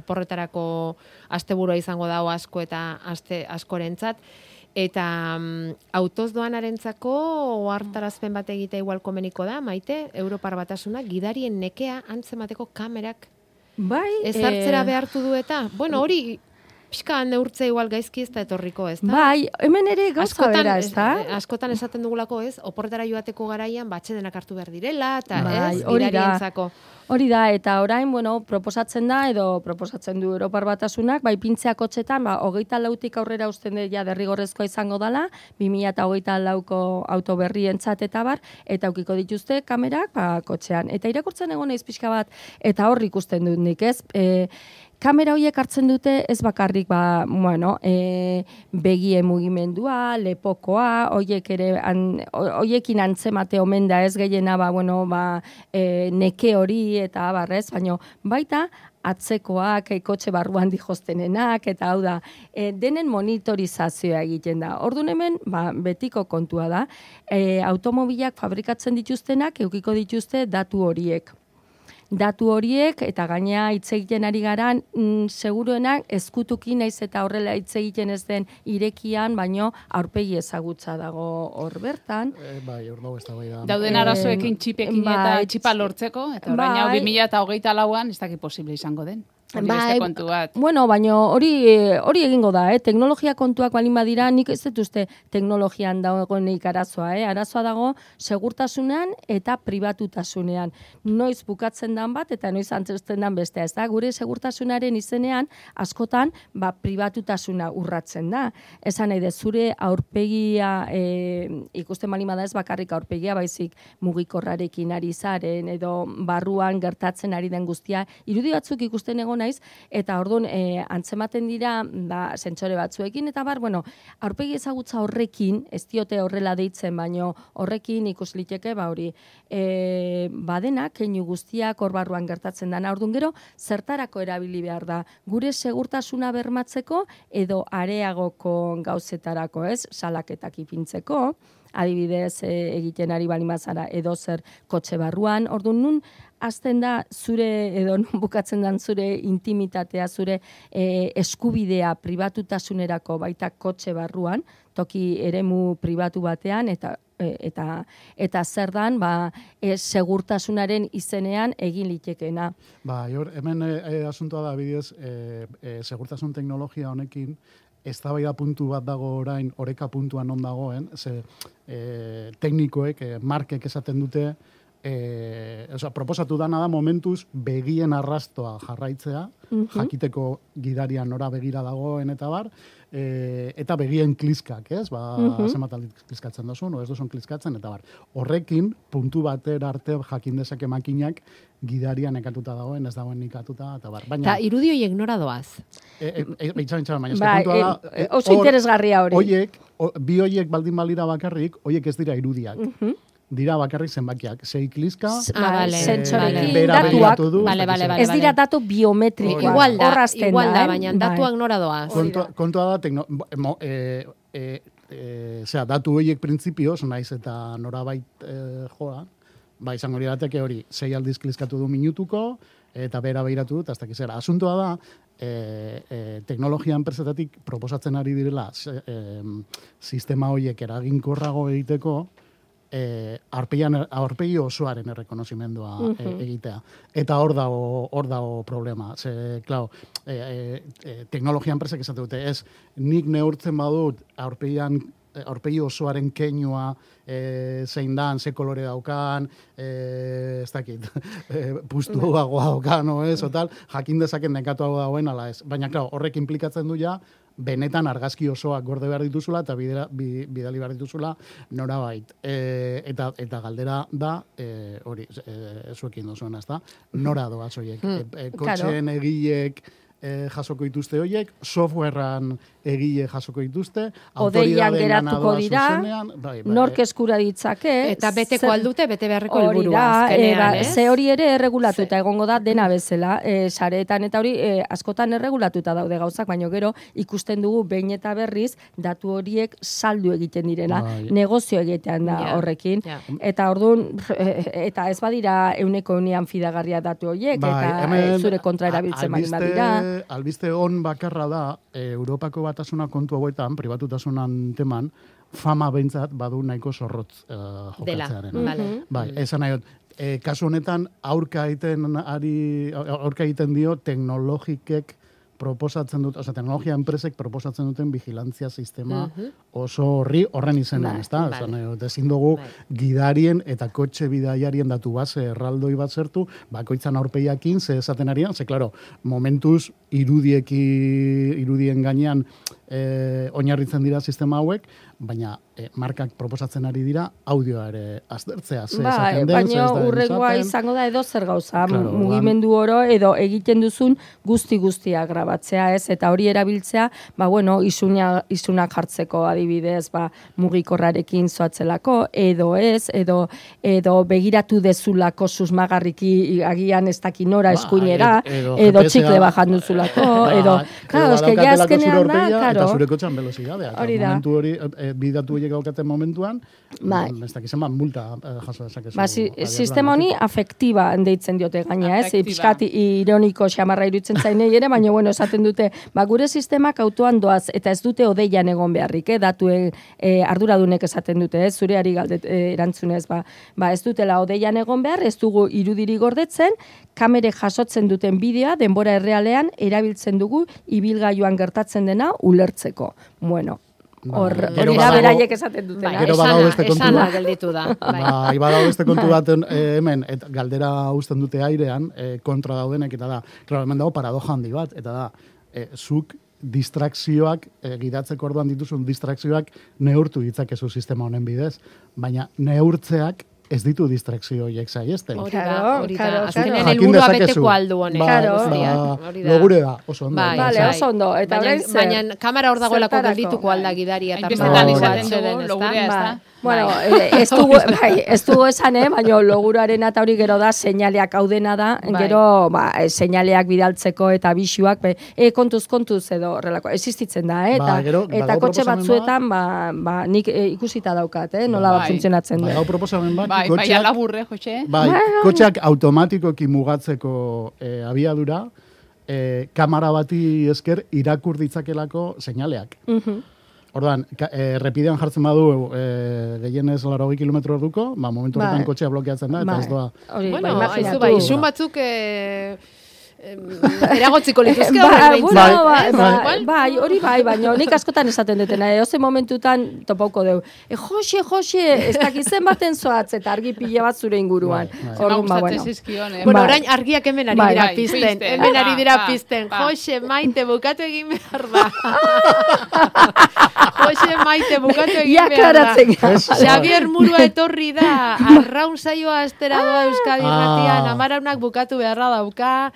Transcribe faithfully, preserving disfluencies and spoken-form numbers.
oporretarako asteburua izango dago asko eta aste askorentzat. Eta um, autoz doanarentzako ohartarazpen bat egitea igual komeniko da, Maite, Europar Batasunak gidarien nekea antzemateko kamerak bai, ezartzera behartu du eta, bueno, hori pixka neurtze igual gaizki ez da etorriko, ez da? Bai, hemen ere gauza bera, ez da? Askotan esaten dugulako, ez, oporretara joateko garaian batxedenak hartu behar direla, eta bai, ez, gidarientzako. Hori da, eta orain, bueno, proposatzen da, edo proposatzen du Europar Batasunak, bai pintzea kotxetan, ba, hogeita lautik aurrera usten ja derrigorrezkoa izango dala, bi mila eta hogeita lauko auto berrientzat eta bar, eta aukiko dituzte kamerak, ba, kotxean. Eta irakurtzen egon naiz pixka bat, eta hor ikusten dut nik, ez? E, Kamera horiek hartzen dute ez bakarrik ba, bueno, e, begie mugimendua, lepokoa, horiek ere an, horiekin antzemate omen da ez gehiena ba, bueno, ba, e, neke hori eta barrez, baina baita atzekoak, e, kotxe barruan dijostenenak, eta hau da, e, denen monitorizazioa egiten da. Orduan hemen, ba, betiko kontua da, e, automobilak fabrikatzen dituztenak, eukiko dituzte datu horiek. Datu horiek, eta gaina hitz egiten ari garan, mm, seguruenak ezkutuki naiz eta horrela hitz egiten ez den irekian, baino aurpegi ezagutza dago hor bertan. E, bai, hor dago ez da bai da. Dauden arazoekin txipekin bai, eta txipa lortzeko, eta orain hau bai, bi mila eta hogeita lauan ez dakit posible izango den. Hori bai, beste kontu bat. Bueno, baina hori hori egingo da, eh? Teknologia kontuak balin badira, nik ez dut uste teknologian dagoenik arazoa, eh? Arazoa dago segurtasunean eta pribatutasunean. Noiz bukatzen dan bat eta noiz antzesten dan bestea, ez da? Gure segurtasunaren izenean askotan ba pribatutasuna urratzen da. Esan nahi de zure aurpegia e, ikusten balin bada ez bakarrik aurpegia, baizik mugikorrarekin ari zaren edo barruan gertatzen ari den guztia, irudi batzuk ikusten egon naiz, eta orduan e, antzematen dira ba, sentsore batzuekin, eta bar, bueno, aurpegi ezagutza horrekin, ez diote horrela deitzen, baino horrekin ikus liteke, ba hori, e, badena, keinu guztiak hor barruan gertatzen dana, orduan gero, zertarako erabili behar da, gure segurtasuna bermatzeko, edo areagoko gauzetarako, ez, salaketak ipintzeko, adibidez e, egiten ari balimazara edo zer kotxe barruan, orduan nun, azten da zure, edo non bukatzen dan zure intimitatea, zure e, eskubidea pribatutasunerako baita kotxe barruan, toki eremu pribatu batean, eta e, eta eta zer dan, ba, e, segurtasunaren izenean egin litekena. Ba, hor, hemen e, asuntoa da, bidez, e, e, segurtasun teknologia honekin, eztabaida puntu bat dago orain, oreka puntuan non dagoen, ze e, teknikoek, e, markek esaten dute, E, oza, proposatu dana da momentuz begien arrastoa jarraitzea, uh-huh. jakiteko gidarian nora begira dagoen eta bar, e, eta begien kliskak, ez? Ba, uh-huh. zenbat aldiz kliskatzen dozun, o ez dozun kliskatzen, eta bar. Horrekin, puntu bater arte jakin dezake makinak gidarian nekatuta dagoen, ez dagoen nikatuta, eta bar. Baina, eta irudi horiek nora doaz? E, e, e, Itxaran, itxaran, baina, ba, puntua da... E, oso or, interesgarria hori. Oiek, o, bi oiek baldin balira bakarrik, oiek ez dira irudiak. Uh-huh. Dira bakarrik zenbakiak. Sei kliska, ah, vale, sentsorekin vale. datuak, du, vale, vale, vale, ez dira datu biometrikoak. Igual da, Horrazten igual da, da, baina datuak nora doaz. Kontua, kontua da, tekno, mo, e, e, e, zera, datu horiek printzipioz, naiz eta norabait e, joa, ba, izango lirateke hori, sei aldiz kliskatu du minutuko, eta bera behiratu dut, hasta zera. Asuntoa da, e, e, teknologia enpresetatik proposatzen ari direla e, sistema horiek eraginkorrago egiteko, E, aurpegi osoaren errekonozimendua uh-huh. e, egitea. Eta hor dago, hor dago problema. Ze, klar, e, e, e, teknologia enpresak esate dute, ez, nik neurtzen badut aurpegian aurpegi osoaren keinua e, zein dan, ze kolore daukan, e, ez dakit, e, puztuagoa daukan, no, ez, o tal, jakin dezaken nekatuago dagoen, ala ez. Baina, klar, horrek implikatzen du ja, benetan argazki osoak gorde behar dituzula eta bidera, bidali behar dituzula norabait. E, eta, eta galdera da, e, hori, e, zuekin dozuena, ez da, nora doaz horiek. Hmm. E, e, kotxeen egilek e, jasoko dituzte horiek, softwarean egile jasoko dituzte, odeian geratuko dira, bai, bai, nork eskura ditzake. Eta beteko aldute, bete beharreko helburua azkenean, e, ze hori ere erregulatuta ze. Egongo da dena bezala, e, sareetan eta hori e, askotan erregulatuta daude gauzak, baino gero ikusten dugu behin eta berriz datu horiek saldu egiten direla, bai. Negozio egitean da yeah. horrekin, yeah. eta orduan, eta ez badira euneko unean fidagarria datu horiek, bai, eta hemen, zure kontra erabiltzen baldin badira. albiste, albiste on bakarra da, e, Europako batasuna kontu hauetan, pribatutasunan teman, fama behintzat badu nahiko zorrotz uh, jokatzearen. Dela, vale. Bai, esan nahi dut, e, kasu honetan aurka egiten ari aurka egiten dio teknologikek proposatzen dut, osea, teknologia enpresek proposatzen duten vigilantzia sistema uh-huh. oso horri horren izenean, Bai, ezta? bai. Esan nahi dut, ezin dugu Bai. gidarien eta kotxe bidaiarien datu base erraldoi bat zertu, bakoitzan aurpegiakin ze esaten arian, ze claro, momentuz irudieki irudien gainean eh, oinarritzen dira sistema hauek, baina eh, markak proposatzen ari dira audioa ere aztertzea, ze Bai, esaten den, ze baina ez den urrengoa esaten. izango da edo zer gauza, Claro, mugimendu oro edo egiten duzun guzti guztia grabatzea, ez, eta hori erabiltzea, ba bueno, isuna isunak jartzeko adibidez, ba mugikorrarekin zoatzelako edo ez, edo edo begiratu dezulako susmagarriki agian ez daki nora Bai, eskuinera, edo edo G P S-a txikle bajan duzulako, Bai, edo claro, eske ja badaukatelako zure azkenean da, aurpegia claro. Eta zure kotxean velozidadea. Hori da. Momentu hori, e, bidatu horiek daukaten momentuan, Bai. ez dakizen bat multa eh, jaso dezakezu. Ba, si, adierazlean sistema honi batetik. afektiba deitzen diote gaina, ez? Afektiba. Piskat ironiko xamarra irutzen zainei ere, baina bueno, esaten dute, ba, gure sistemak autoan doaz, eta ez dute odeian egon beharrik, eh? Datuen eh, arduradunek esaten dute, ez? Zure ari galdet eh, erantzunez, ba, ba, ez dutela odeian egon behar, ez dugu irudiri gordetzen, kamere jasotzen duten bideoa denbora errealean erabiltzen dugu ibilgailuan gertatzen dena ulertzeko. Bueno, hor, Gero hori da badago- beraiek esaten Bai, dutena. Gero badago beste kontu esana bat. gelditu da. Bai. Bai, badago beste kontu bat eh, hemen, et, galdera uzten dute airean, eh, kontra daudenek, eta da, claro, hemen dago paradoja handi bat, eta da, eh, zuk distrakzioak, eh, gidatzeko orduan dituzun distrakzioak neurtu ditzakezu sistema honen bidez, baina neurtzeak ez ditu distrakzio horiek saiesten. Hori da, Claro, hori da. claro, Azkenean claro. helburua Jakin dezakezu. beteko aldu honek. Ba, Claro. guztiak, ba, hori da. logure da, oso ondo. Bai, Vale, bai. oso ondo. Eta baina, orain zer? baina kamera hor dagoelako Zertarako? geldituko alda gidari eta Hainbestetan Bai, izaten bai. dugu, logurea ez da. Bai. Bueno, eh, ez dugu, bai, ez dugu esan, eh, baina loguraren eta hori gero da, seinaleak hau dena da, Bai. gero, ba, eh, seinaleak bidaltzeko eta bisuak, be, e, kontuz, kontuz edo horrelako, existitzen da, eh, eta, Ba, gero, eta badago kotxe proposamen batzuetan, ba, ba, nik eh, ikusita daukat, eh, nola Bai. funtzionatzen Bai, den. hau proposamen bat, Bai, bai, kotxeak- alaburre, Jose. Bai, kotxeak automatikoki mugatzeko eh, abiadura, eh, kamera bati esker irakur ditzakelako seinaleak. Mhm. Orduan, ka- eh, errepidean jartzen badu eh, gehienez laurogei kilometro orduko, ba, momentu horretan Bai. kotxea blokeatzen da, eta Bai. ez doa. Hori, Bueno, ba, aizu imaginatu. bai, isun batzuk eh, em, eragotziko lituzke Ba, horren bueno, behintzat, bai, ez? bai, Igual? bai, hori bai, baina nik askotan esaten dutena, eh, oze momentutan topauko deu. E, Jose, Jose, ez dakizen baten zoatz, eta argi pila bat zure inguruan. Bai, bai. Zema Orduan, ba, gustatzen bueno. zizkion, eh? Bueno, Bai. orain argiak hemen ari Bai. dira Bai, pizten. pizten. Hemen ari Ba, dira ba, pizten. ba. Jose, maite, bukatu egin behar da. Jose, maite, bukatu egin Ia behar da. klaratzen. Ez, Xavier Murua etorri da, arraun saioa astera doa Euskadi Ah. Irratian, amaraunak bukatu beharra dauka,